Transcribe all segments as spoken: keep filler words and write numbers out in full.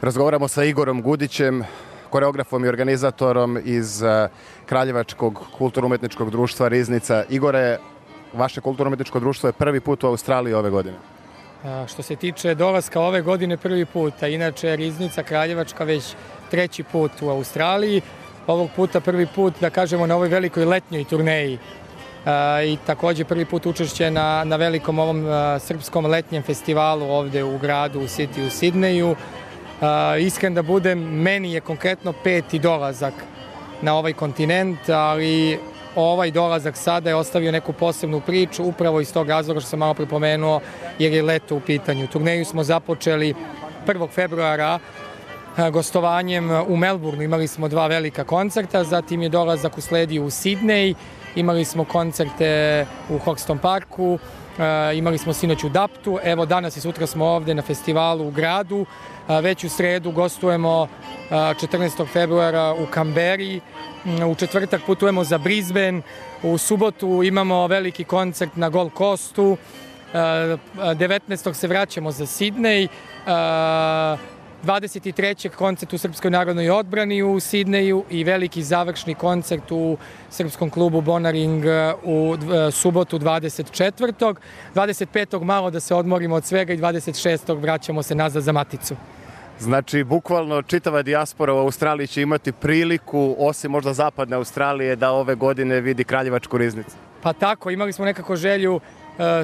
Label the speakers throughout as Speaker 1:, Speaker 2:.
Speaker 1: Razgovaramo sa Igorom Gudićem, koreografom i organizatorom iz Kraljevačkog kulturno-umetničkog društva Riznica. Igore, vaše kulturno-umetničko društvo je prvi put u Australiji ove godine.
Speaker 2: A, što se tiče dolaska ove godine prvi put, a inače Riznica Kraljevačka već treći put u Australiji. Ovog puta prvi put, da kažemo, na ovoj velikoj letnjoj turneji. A, I također prvi put učešće na, na velikom ovom a, srpskom letnjem festivalu ovde u gradu, u City, u Sidneju. Uh, iskren da budem, meni je konkretno peti dolazak na ovaj kontinent, ali ovaj dolazak sada je ostavio neku posebnu priču, upravo iz tog razloga što sam malo pripomenuo, jer je leto u pitanju. Turneju smo započeli prvog februara uh, gostovanjem u Melbourneu, imali smo dva velika koncerta, zatim je dolazak usledio u Sidnej, imali smo koncerte u Hoxton Parku, Uh, imali smo sinoć u Daptu, evo danas i sutra smo ovde na festivalu u gradu, uh, već u sredu gostujemo uh, četrnaestog februara u Kamberi, um, u četvrtak putujemo za Brisbane, u subotu imamo veliki koncert na Gold Coastu, uh, devetnaestog se vraćamo za Sidnej, uh, dvadeset trećeg koncert u Srpskoj narodnoj odbrani u Sidneju i veliki završni koncert u Srpskom klubu Bonaring u subotu dvadeset četvrtog dvadeset petog malo da se odmorimo od svega i dvadeset šestog vraćamo se nazad za maticu.
Speaker 1: Znači, bukvalno čitava dijaspora u Australiji će imati priliku, osim možda zapadne Australije, da ove godine vidi Kraljevačku Riznicu.
Speaker 2: Pa tako, imali smo nekako želju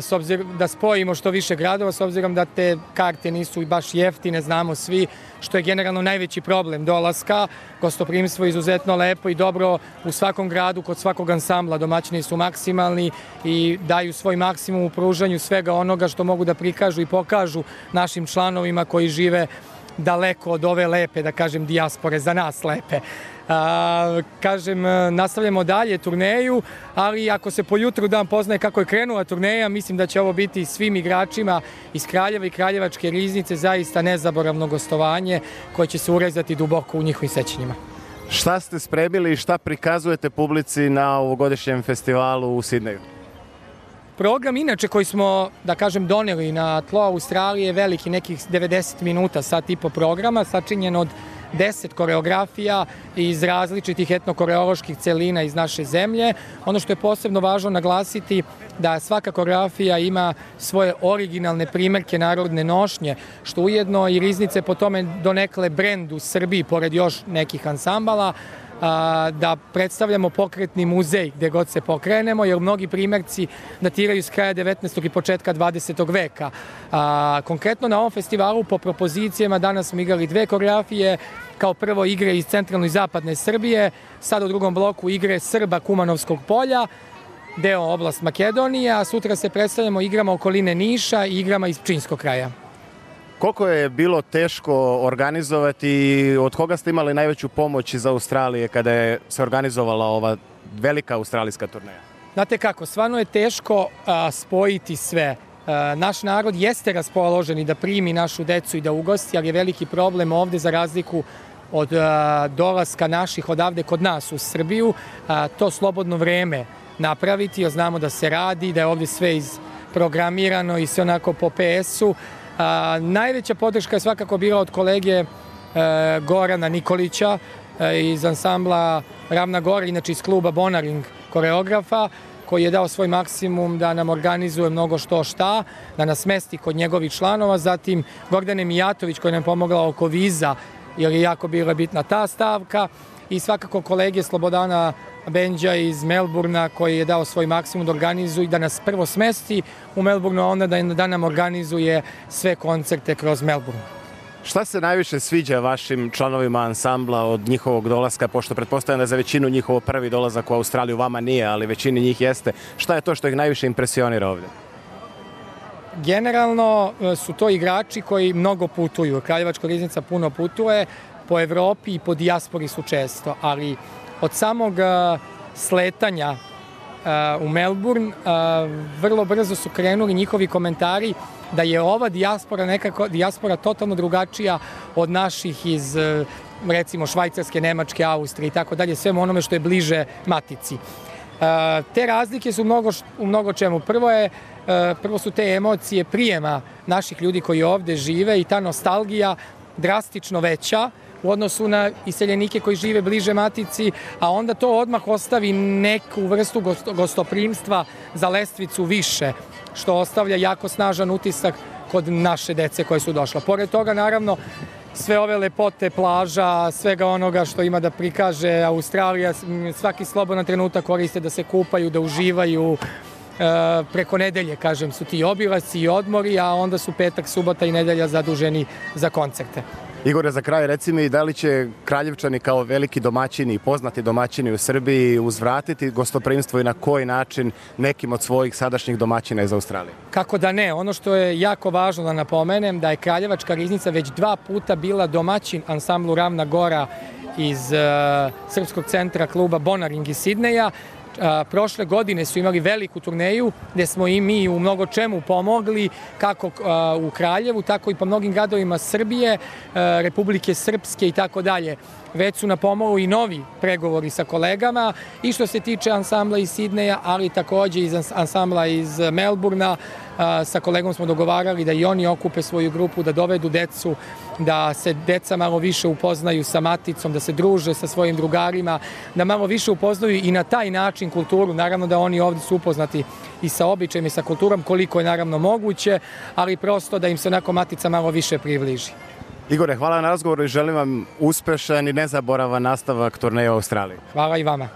Speaker 2: s obzirom da spojimo što više gradova, s obzirom da te karte nisu baš jeftine, znamo svi, što je generalno najveći problem dolaska. Gostoprimstvo je izuzetno lepo i dobro u svakom gradu, kod svakog ansambla. Domaćini su maksimalni i daju svoj maksimum u pružanju svega onoga što mogu da prikažu i pokažu našim članovima koji žive daleko od ove lepe, da kažem, dijaspore, za nas lepe. A, kažem, nastavljamo dalje turneju, ali ako se po jutru dan poznaje kako je krenula turneja, mislim da će ovo biti svim igračima iz Kraljeva i Kraljevačke Riznice zaista nezaboravno gostovanje koje će se urezati duboko u njihovim sećanjima.
Speaker 1: Šta ste spremili i šta prikazujete publici na ovogodišnjem festivalu u Sidneju?
Speaker 2: Program inače koji smo, da kažem, doneli na tlo Australije, veliki, nekih devedeset minuta, sat i po programa, sačinjen od deset koreografija iz različitih etnokoreoloških celina iz naše zemlje. Ono što je posebno važno naglasiti da svaka koreografija ima svoje originalne primerke narodne nošnje, što ujedno i Riznice po tome donekle brend u Srbiji, pored još nekih ansambala, da predstavljamo pokretni muzej gde god se pokrenemo, jer mnogi primjerci datiraju s kraja devetnaestog i početka dvadesetog veka. A, konkretno na ovom festivalu po propozicijama danas smo igrali dve koreografije, kao prvo igre iz centralne i zapadne Srbije, sad u drugom bloku igre Srba Kumanovskog polja, deo oblast Makedonije, a sutra se predstavljamo igrama okoline Niša i igrama iz Pčinjskog kraja.
Speaker 1: Koliko je bilo teško organizovati i od koga ste imali najveću pomoć iz Australije kada je se organizovala ova velika australijska turneja?
Speaker 2: Znate kako, stvarno je teško a, spojiti sve. A, naš narod jeste raspoložen i da primi našu decu i da ugosti, ali je veliki problem ovde za razliku od a, dolaska naših odavde kod nas u Srbiju, a, to slobodno vreme napraviti, jer znamo da se radi, da je ovde sve izprogramirano i sve onako po pe esu. A, najveća podrška je svakako bila od kolege e, Gorana Nikolića e, iz ansambla Ravna Gora, inače iz kluba Bonaring koreografa, koji je dao svoj maksimum da nam organizuje mnogo što šta, da nas mesti kod njegovih članova. Zatim Gordane Mijatović koji nam je pomogla oko viza, jer je jako bila bitna ta stavka. I svakako kolege Slobodana Benđa iz Melbournea koji je dao svoj maksimum da organizuje i da nas prvo smesti u Melbourneu, a onda da, da nam organizuje sve koncerte kroz Melbourne.
Speaker 1: Šta se najviše sviđa vašim članovima ansambla od njihovog dolaska, pošto pretpostavljam da za većinu njihovo prvi dolazak u Australiju, vama nije, ali većini njih jeste. Šta je to što ih najviše impresionira ovdje?
Speaker 2: Generalno su to igrači koji mnogo putuju. Kraljevačka Riznica puno putuje, po Evropi i po dijaspori su često, ali od samog uh, sletanja uh, u Melbourne uh, vrlo brzo su krenuli njihovi komentari da je ova dijaspora nekako dijaspora totalno drugačija od naših iz uh, recimo Švajcarske, Nemačke, Austrije i tako dalje, svemu onome što je bliže matici. Uh, te razlike su mnogo, u mnogo čemu. Prvo je uh, prvo su te emocije prijema naših ljudi koji ovde žive i ta nostalgija drastično veća u odnosu na iseljenike koji žive bliže matici, a onda to odmah ostavi neku vrstu gostoprimstva za lestvicu više, što ostavlja jako snažan utisak kod naše dece koje su došla. Pored toga, naravno, sve ove lepote plaža, svega onoga što ima da prikaže Australija, svaki slobodan trenutak koriste da se kupaju, da uživaju. E, preko nedelje, kažem, su ti obilasci i odmori, a onda su petak, subota i nedelja zaduženi za koncerte.
Speaker 1: Igore, za kraj reci mi da li će Kraljevčani kao veliki domaćini i poznati domaćini u Srbiji uzvratiti gostoprimstvo i na koji način nekim od svojih sadašnjih domaćina iz Australije?
Speaker 2: Kako da ne? Ono što je jako važno da napomenem da je Kraljevačka riznica već dva puta bila domaćin ansamblu Ravna Gora iz uh, Srpskog centra kluba Bonaring iz Sidneja. Prošle godine su imali veliku turneju gde smo i mi u mnogo čemu pomogli, kako u Kraljevu, tako i po mnogim gradovima Srbije, Republike Srpske i tako dalje. Već su na pomolu i novi pregovori sa kolegama i što se tiče ansambla iz Sidneja, ali takođe iz ansambla iz Melburna. Sa kolegom smo dogovarali da i oni okupe svoju grupu, da dovedu decu, da se deca malo više upoznaju sa maticom, da se druže sa svojim drugarima, da malo više upoznaju i na taj način kulturu. Naravno da oni ovdje su upoznati i sa običajem i sa kulturom koliko je naravno moguće, ali prosto da im se onako matica malo više približi.
Speaker 1: Igore, hvala na razgovoru i želim vam uspešan i nezaboravan nastavak turneja u Australiji.
Speaker 2: Hvala i vama.